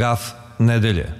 Gaf nedelje.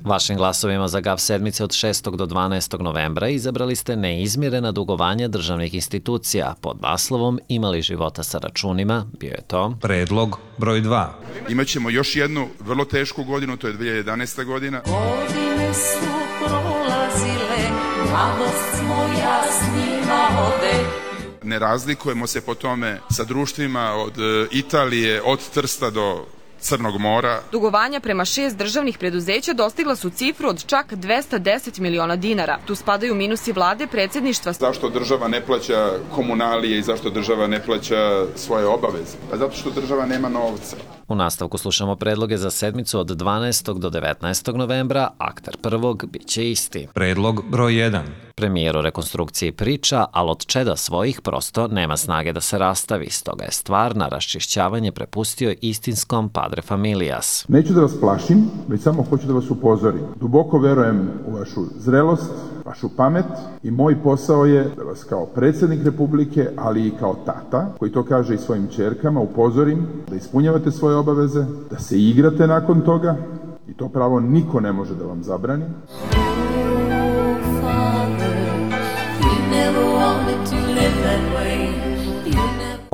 Vašim glasovima za GAF sedmice od 6. do 12. novembra izabrali ste neizmirena dugovanja državnih institucija. Pod naslovom Imali života sa računima bio je to Predlog broj 2. Imaćemo još jednu vrlo tešku godinu, to je 2011. godina. Godine su prolazile, mladost moja s njima ode. Ne razlikujemo se po tome sa društvima od Italije, od Trsta do Crnog mora. Dugovanja prema 6 državnih preduzeća dostigla su cifru od čak 210 miliona dinara. Tu spadaju minusi vlade, predsjedništva. Zašto država ne plaća komunalije i zašto država ne plaća svoje obaveze? Pa zato što država nema novca. U nastavku slušamo predloge za sedmicu od 12. do 19. novembra. Akter prvog biće isti. Predlog broj 1. Premijer o rekonstrukciji priča, ali od čeda svojih prosto nema snage da se rastavi. Stoga je stvar na raščišćavanje prepustio istinskom padre familias. Neću da vas plašim, već samo hoću da vas upozorim. Duboko verujem u vašu zrelost, vašu pamet i moj posao je da vas kao predsjednik Republike, ali i kao tata, koji to kaže i svojim ćerkama, upozorim da ispunjavate svoje obaveze, da se igrate nakon toga i to pravo niko ne može da vam zabrani.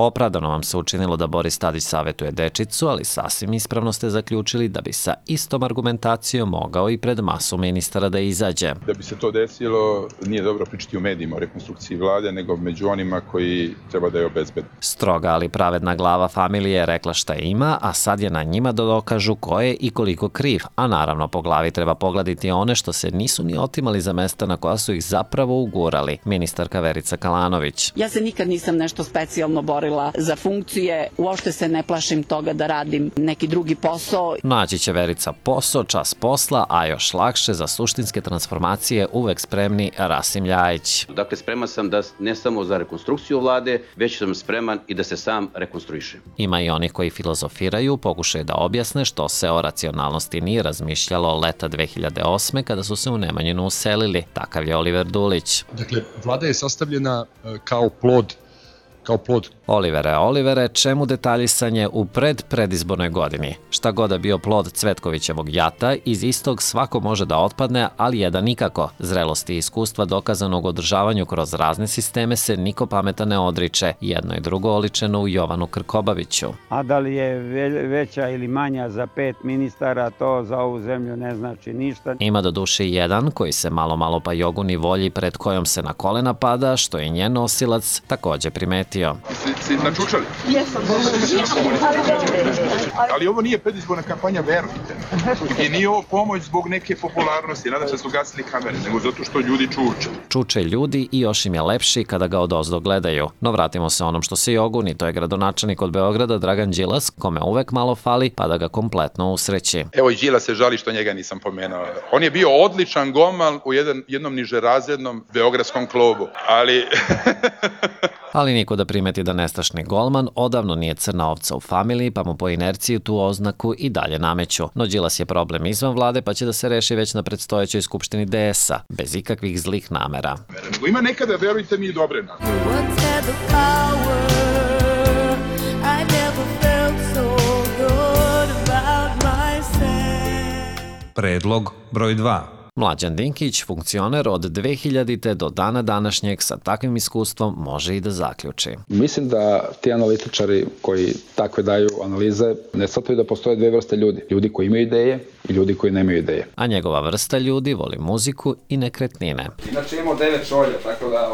Opravdano vam se učinilo da Boris Tadić savjetuje dečicu, ali sasvim ispravno ste zaključili da bi sa istom argumentacijom mogao i pred masu ministara da izađe. Da bi se to desilo, nije dobro pričati u medijima o rekonstrukciji vlade, nego među onima koji treba da je obezbede. Stroga, ali pravedna glava familije je rekla šta ima, a sad je na njima da dokažu ko je i koliko kriv. A naravno, po glavi treba pogledati one što se nisu ni otimali za mesta na koja su ih zapravo ugurali. Ministarka Verica Kalanović. Ja se nikad nisam nešto specijalno borila za funkcije, uopšte se ne plašim toga da radim neki drugi posao. Naći će Verica posao, čas posla, a još lakše za suštinske transformacije uvek spremni Rasim Ljajić. Dakle, spreman sam da ne samo za rekonstrukciju vlade, već sam spreman i da se sam rekonstruišem. Ima i onih koji filozofiraju, pokušaju da objasne što se o racionalnosti nije razmišljalo leta 2008. kada su se u Nemanjinu uselili. Takav je Oliver Dulić. Dakle, vlada je sastavljena kao plod. Olivere, čemu detaljisanje u predizbornoj godini? Šta god da bio plod Cvetkovićevog jata, iz istog svako može da otpadne, ali jedan nikako. Zrelosti i iskustva dokazanog održavanju kroz razne sisteme se niko pametan ne odriče. Jedno i drugo oličeno u Jovanu Krkobabiću. A da li je veća ili manja za 5 ministara, to za ovu zemlju ne znači ništa. Ima do duše jedan koji se malo pa joguni volji pred kojom se na kolena pada, što je njen nosilac takođe primetio. Si načučali? Jesam. Ali ovo nije predizborna kampanja, verujte. I nije ovo pomoć zbog neke popularnosti, nadam se da su gasili kamere, nego zato što ljudi čuče. Čuče ljudi i još im je lepši kada ga odozdo gledaju. No vratimo se onom što se joguni, to je gradonačelnik od Beograda Dragan Đilas, kome uvek malo fali pa da ga kompletno usreći. Evo i Đilas se žali što njega nisam pomenuo. On je bio odličan golman u jednom nižerazrednom beogradskom klubu, Ali niko da primeti da nestašni golman odavno nije crna ovca u familiji, pa mu po inerciji tu oznaku i dalje nameću. No Đilas je problem izvan vlade, pa će da se reši već na predstojećoj skupštini DS-a, bez ikakvih zlih namera. Nego ima nekada, verujte mi, i dobre namere. Predlog broj 2. Mlađan Dinkić, funkcioner od 2000. do dana današnjeg sa takvim iskustvom može i da zaključi. Mislim da ti analitičari koji takve daju analize ne shvataju da postoje dve vrste ljudi. Ljudi koji imaju ideje i ljudi koji nemaju ideje. A njegova vrsta ljudi voli muziku i nekretnine. Inače imamo 9 šolja, tako da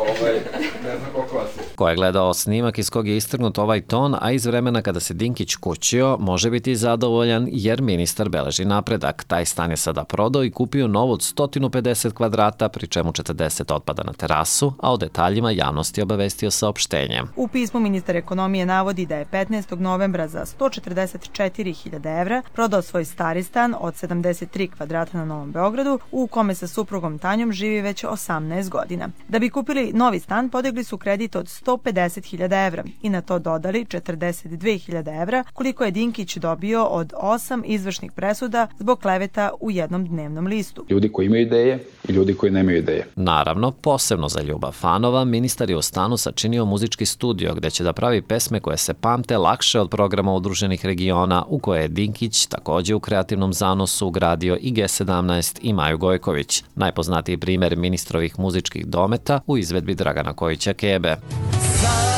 ne znam koliko vas je. Ko je gledao snimak iz kog je istrgnut ovaj ton, a iz vremena kada se Dinkić kućio, može biti zadovoljan jer ministar beleži napredak. Taj stan je sada prodao i kupio novo od 150 kvadrata, pri čemu 40 otpada na terasu, a o detaljima javnosti obavestio saopštenjem. U pismu ministar ekonomije navodi da je 15. novembra za 144.000 evra prodao svoj stari stan od 73 kvadrata na Novom Beogradu, u kome sa suprugom Tanjom živi već 18 godina. Da bi kupili novi stan, podigli su kredit od 150.000 evra i na to dodali 42.000 evra, koliko je Dinkić dobio od 8 izvršnih presuda zbog kleveta u jednom dnevnom listu. Ljudi koji imaju ideje i ljudi koji nemaju ideje. Naravno, posebno za ljubav fanova, ministar je u stanu sačinio muzički studio gde će da pravi pesme koje se pamte lakše od programa Udruženih regiona, u koje je Dinkić takođe u kreativnom zanosu ugradio i G17 i Maju Gojković. Najpoznatiji primer ministrovih muzičkih dometa u izvedbi Dragana Kojića Kebe. Sanjam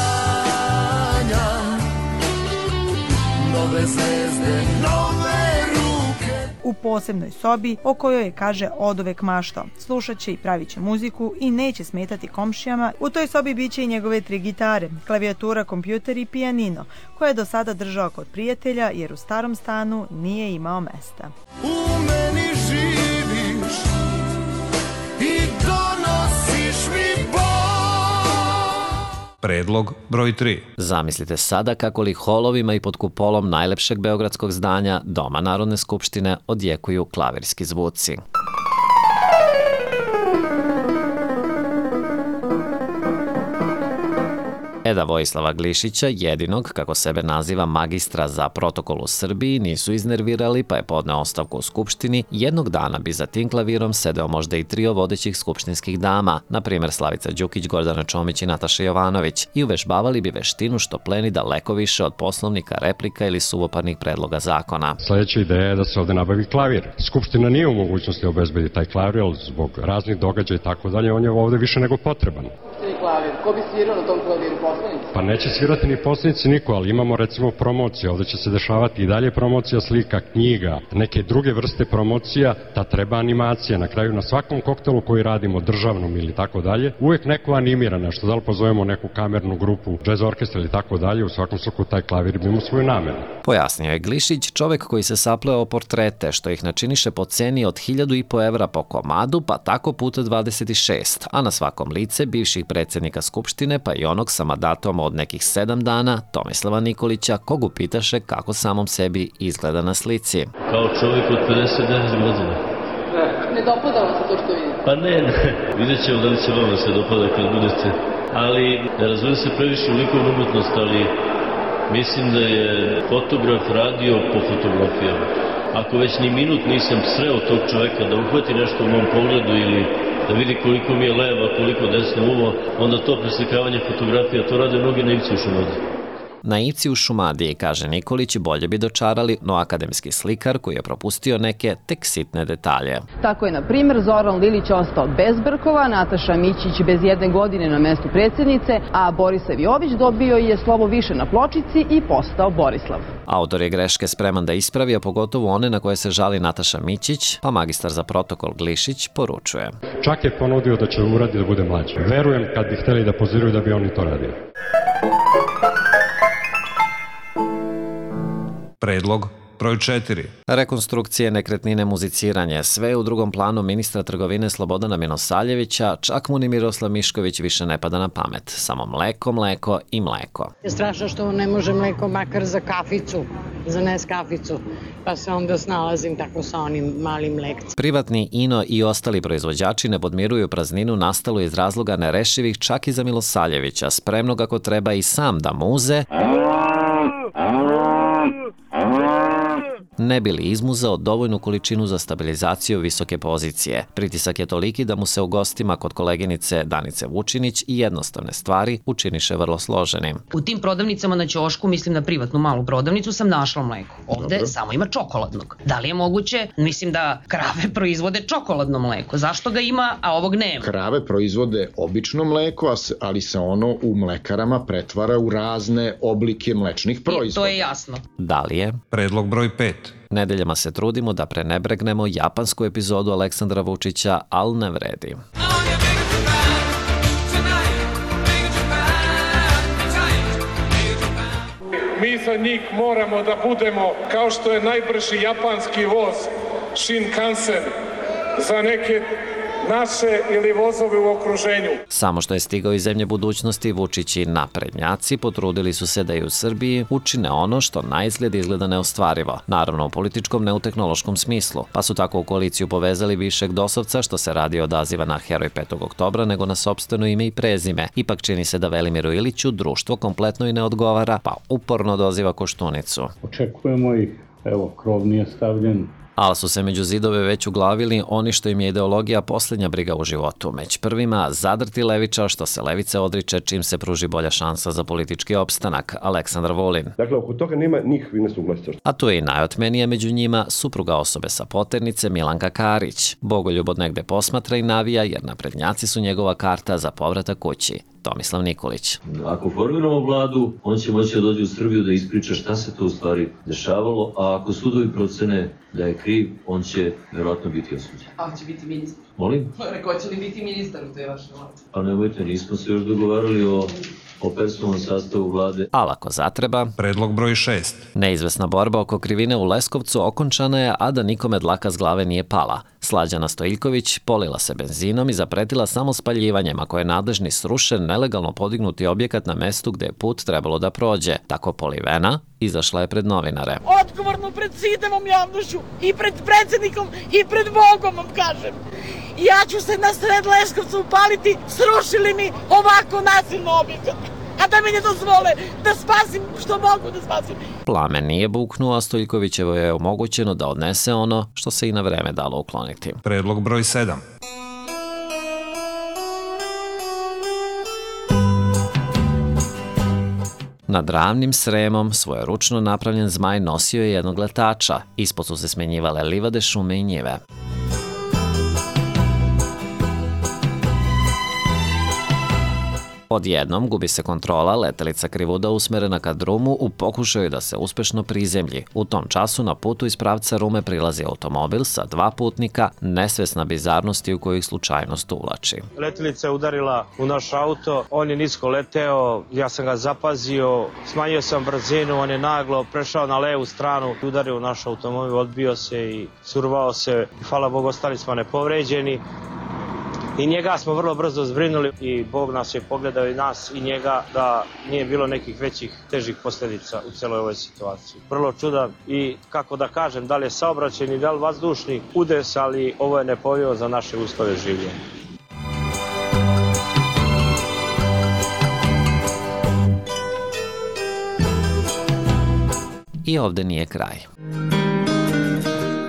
nove zvezde, nove ruke. U posebnoj sobi o kojoj je, kaže, oduvek maštao. Slušat će i pravit će muziku i neće smetati komšijama. U toj sobi biće i njegove 3 gitare, klavijatura, kompjuter i pijanino, koje je do sada držao kod prijatelja jer u starom stanu nije imao mesta. U meni živiš i donosiš mi bol. Predlog broj 3. Zamislite sada kako li holovima i pod kupolom najlepšeg beogradskog zdanja, Doma Narodne skupštine, odjekuju klavirski zvuci. Eda Vojislava Glišića, jedinog, kako sebe naziva, magistra za protokol u Srbiji, nisu iznervirali pa je podneo ostavku u Skupštini. Jednog dana bi za tim klavirom sedeo možda i trio vodećih skupštinskih dama, na primjer Slavica Đukić, Gordana Čomić i Nataša Jovanović, i uvežbavali bi veštinu što pleni daleko više od poslovnika, replika ili suvoparnih predloga zakona. Sljedeća ideja je da se ovde nabavi klavir. Skupština nije u mogućnosti obezbedi taj klavir, ali zbog raznih događaja i tako dalje, on je ovde više nego potreban. Klavir. Ko bi svirao na tom klaviru, poslanici? Pa neće svirati ni poslanici niko, ali imamo recimo promocije. Ovde će se dešavati i dalje promocija slika, knjiga, neke druge vrste promocija, ta treba animacija. Na kraju na svakom koktelu koji radimo, državnom ili tako dalje, uvek neko animira nešto, da li pozovemo neku kamernu grupu, džez orkestra ili tako dalje, u svakom slučaju taj klavir bi imao svoju namenu. Pojasnio je Glišić, čovek koji se sapleo portrete, što ih načiniše po ceni od 1.500 evra po komadu, pa tako puta 26, a na svakom lice bivših predsjednika Skupštine, pa i onog sa mandatom od nekih 7 dana, Tomislava Nikolića, kog upitaše kako samom sebi izgleda na slici. Kao čovjek od 59 godina. Ne dopada vam se to što vidite? Pa ne. Vidjet ćemo da li će vam se dopada kad budete. Ali ne razumijem se previše u likovnu umetnost, ali mislim da je fotograf radio po fotografijama. Ako već ni minut nisam sreo tog čoveka da uhvati nešto u mom pogledu ili da vidi koliko mi je leva, koliko desno uvo, onda to preslikavanje fotografija, to rade mnogi naivci u Šumadiji. Naivci u Šumadiji, kaže Nikolić, bolje bi dočarali, no akademski slikar koji je propustio neke tek sitne detalje. Tako je, na primjer, Zoran Lilić ostao bez brkova, Nataša Mićić bez 1 godine na mestu predsjednice, a Borisav Jović dobio je slovo više na pločici i postao Borislav. Autor je greške spreman da ispravi, a pogotovo one na koje se žali Nataša Mićić, pa magistar za protokol Glišić poručuje. Čak je ponudio da će uradi da bude mlađi. Verujem kad bi hteli da poziraju da bi oni to radili. Predlog broj 4. Rekonstrukcije, nekretnine, muziciranje, sve u drugom planu ministra trgovine Slobodana Milosaljevića, čak mu ni Miroslav Mišković više ne pada na pamet. Samo mleko, mleko i mleko. Je strašno što ne može mleko makar za kaficu, za Neskaficu, pa se onda snalazim tako sa onim malim mlekcem. Privatni Ino i ostali proizvođači ne podmiruju prazninu nastalu iz razloga nerešivih čak i za Milosaljevića, spremnog ako treba i sam da muze, ne bi li izmuzao dovoljnu količinu za stabilizaciju visoke pozicije. Pritisak je toliki da mu se u gostima kod koleginice Danice Vučinić i jednostavne stvari učiniše vrlo složenim. U tim prodavnicama na ćošku, mislim na privatnu malu prodavnicu, sam našla mleko. Ovde samo ima čokoladnog. Da li je moguće? Mislim da krave proizvode čokoladno mleko. Zašto ga ima, a ovog nema? Krave proizvode obično mleko, ali se ono u mlekarama pretvara u razne oblike mlečnih proizvoda. I to je jasno. Da li je? Predlog broj 5. Nedeljama se trudimo da prenebregnemo japansku epizodu Aleksandra Vučića, ali ne vredi. Mi za njih moramo da budemo kao što je najbrži japanski voz Shinkansen za neke naše ili vozove u okruženju. Samo što je stigao iz zemlje budućnosti, Vučić i naprednjaci potrudili su se da i u Srbiji učine ono što na izgled izgleda neostvarivo. Naravno u političkom, ne u tehnološkom smislu. Pa su tako u koaliciju povezali višeg dosovca, što se radi odaziva na heroj 5. oktobra, nego na sopstveno ime i prezime. Ipak čini se da Velimiru Iliću društvo kompletno i ne odgovara, pa uporno doziva Koštunicu. Očekujemo ih, evo, krov nije stavljen. Ali su se među zidove već uglavili oni što im je ideologija posljednja briga u životu. Među prvima zadrti levičar, što se levice odriče čim se pruži bolja šansa za politički opstanak, Aleksandar Vulin. Dakle, oko toga nema nikakvih nesuglasica. A tu je i najotmenije među njima supruga osobe sa poternice Milanka Karić. Bogoljub od negde posmatra i navija jer naprednjaci su njegova karta za povratak kući. Tomislav Nikolić. Ako formiramo vladu, on će moći da dođe u Srbiju da ispriča šta se to u stvari dešavalo, a ako sudovi procene da je kriv, on će verovatno biti osuđen. A će biti ministar? Molim? Rekao će li biti ministar u toj vašoj vladi? Pa nemojte, nismo se još dogovarali o personalnom sastavu vlade. Ali ako zatreba... Predlog broj 6. Neizvesna borba oko krivine u Leskovcu okončana je, a da nikome dlaka s glave nije pala. Slađana Stojiljković polila se benzinom i zapretila samo spaljivanjem ako je nadležni srušen nelegalno podignuti objekat na mestu gde je put trebalo da prođe. Tako polivena izašla je pred novinare. Odgovorno pred sitevom javnošću i pred predsjednikom i pred Bogom vam kažem. Ja ću se na sred Leskovca upaliti, srušili mi ovako nasilno objekat. A da mi ne dozvole da spasim što mogu da spasim. Plamen nije buknuo, a Stojiljkovićevo je omogućeno da odnese ono što se i na vreme dalo ukloniti. Predlog broj 7. Nad ravnim Sremom svoj ručno napravljen zmaj nosio je jednog letača. Ispod su se smenjivale livade, šume i njive. Odjednom gubi se kontrola, letelica krivuda usmerena ka drumu u pokušaju da se uspešno prizemlji. U tom času na putu iz pravca Rume prilazi automobil sa 2 putnika, nesvesna bizarnosti u kojih slučajnost uvlači. Letelica je udarila u naš auto, on je nisko leteo, ja sam ga zapazio, smanjio sam brzinu, on je naglo prešao na levu stranu, udario u naš automobil, odbio se i survao se. Hvala Bogu, ostali smo nepovređeni. I njega smo vrlo brzo zbrinuli i Bog nas je pogledao i nas i njega da nije bilo nekih većih težih posljedica u celoj ovoj situaciji. Vrlo čudan i kako da kažem, da li je saobraćajni, da li vazdušni udes, ali ovo je nepovjerljivo za naše uslove življenja. I ovde nije kraj.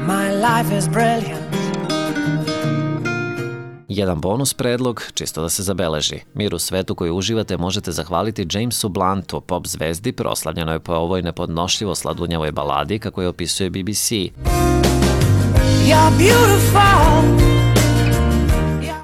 My life is brilliant. Jedan bonus predlog, čisto da se zabeleži. Mir u svetu koji uživate možete zahvaliti Jamesu Bluntu, pop zvezdi, proslavljenoj po ovoj nepodnošljivo sladunjavoj baladi, kako je opisuje BBC. You're beautiful.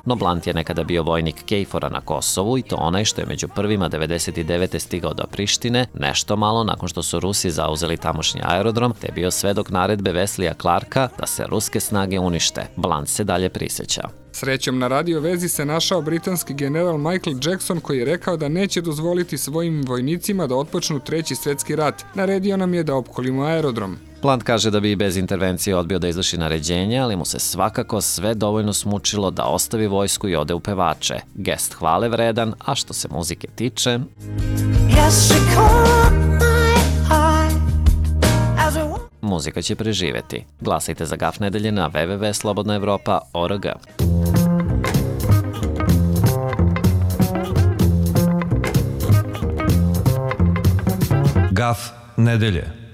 No Blunt je nekada bio vojnik KFOR-a na Kosovu i to onaj što je među prvima 99. stigao do Prištine, nešto malo nakon što su Rusi zauzeli tamošnji aerodrom, te bio svedok naredbe Weslija Clarka da se ruske snage unište. Blunt se dalje priseća. Srećom na radio vezi se našao britanski general Michael Jackson koji je rekao da neće dozvoliti svojim vojnicima da otpočnu 3. svjetski rat. Naredio nam je da opkolimo aerodrom. Blunt kaže da bi i bez intervencije odbio da izvrši naređenje, ali mu se svakako sve dovoljno smučilo da ostavi vojsku i ode u pevače. Gest hvale vredan, a što se muzike tiče... Muzika će preživeti. Glasajte za Gaf nedelje na www.slobodnaevropa.org. Gaf nedelje.